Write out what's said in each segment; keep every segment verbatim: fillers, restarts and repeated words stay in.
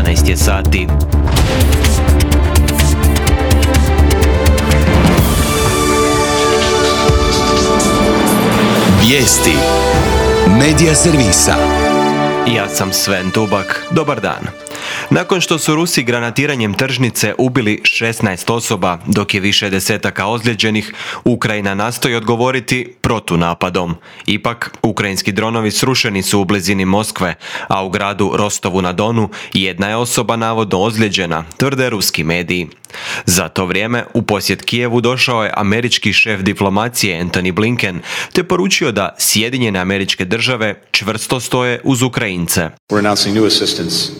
jedanaest je sati. Vijesti Medija servisa. Ja sam Sven Dubak. Dobar dan. Nakon što su Rusi granatiranjem tržnice ubili šesnaest osoba, dok je više desetaka ozlijeđenih, Ukrajina nastoji odgovoriti protunapadom. Ipak, ukrajinski dronovi srušeni su u blizini Moskve, a u gradu Rostovu na Donu jedna je osoba navodno ozlijeđena, tvrde ruski mediji. Za to vrijeme u posjet Kijevu došao je američki šef diplomacije Antony Blinken, te poručio da Sjedinjene Američke Države čvrsto stoje uz Ukrajince.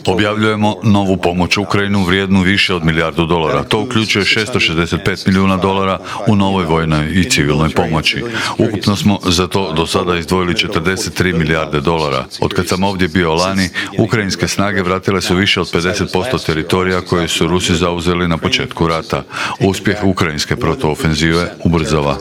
Objavljujemo novu pomoć Ukrajinu vrijednu više od milijardu dolara. To uključuje šesto šezdeset pet milijuna dolara u novoj vojnoj i civilnoj pomoći. Ukupno smo za to do sada izdvojili četrdeset tri milijarde dolara. Od kad sam ovdje bio lani, ukrajinske snage vratile su više od pedeset posto teritorija koje su Rusi zauzeli na početku rata. Uspjeh ukrajinske protuofenzive ubrzava.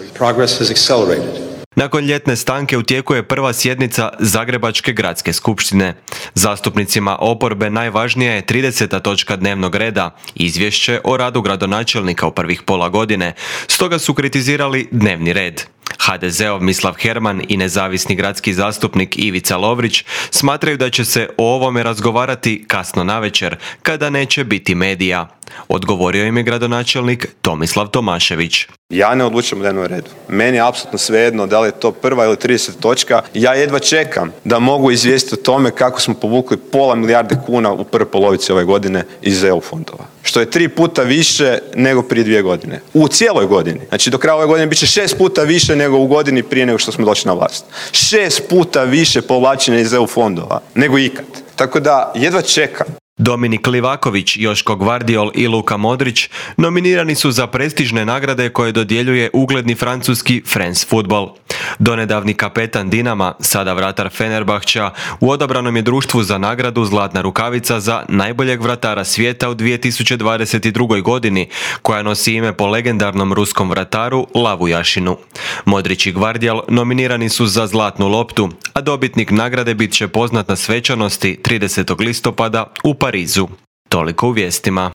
Nakon ljetne stanke u tijeku je prva sjednica Zagrebačke gradske skupštine. Zastupnicima oporbe najvažnija je trideseta točka dnevnog reda, izvješće o radu gradonačelnika u prvih pola godine, stoga su kritizirali dnevni red. ha de zeov Mislav Herman i nezavisni gradski zastupnik Ivica Lovrić smatraju da će se o ovome razgovarati kasno navečer, kada neće biti medija. Odgovorio im je gradonačelnik Tomislav Tomašević. Ja ne odlučujem o dnevnom redu. Meni je apsolutno svejedno da li je to prva ili trideseta točka. Ja jedva čekam da mogu izvijestiti o tome kako smo povukli pola milijarde kuna u prvoj polovici ove godine iz E U fondova. Što je tri puta više nego prije dvije godine. U cijeloj godini. Znači do kraja ove godine bit će šest puta više nego u godini prije nego što smo došli na vlast. Šest puta više povlačenja iz E U fondova nego ikad. Tako da jedva čekam. Dominik Livaković, Joško Gvardiol i Luka Modrić nominirani su za prestižne nagrade koje dodjeljuje ugledni francuski France Football. Donedavni kapetan Dinama, sada vratar Fenerbahča, u odabranom je društvu za nagradu Zlatna rukavica za najboljeg vratara svijeta u dvije tisuće dvadeset drugoj godini, koja nosi ime po legendarnom ruskom vrataru Lavu Jašinu. Modrić i Gvardiol nominirani su za Zlatnu loptu, a dobitnik nagrade bit će poznat na svečanosti tridesetog listopada u Parizu. Toliko u vijestima.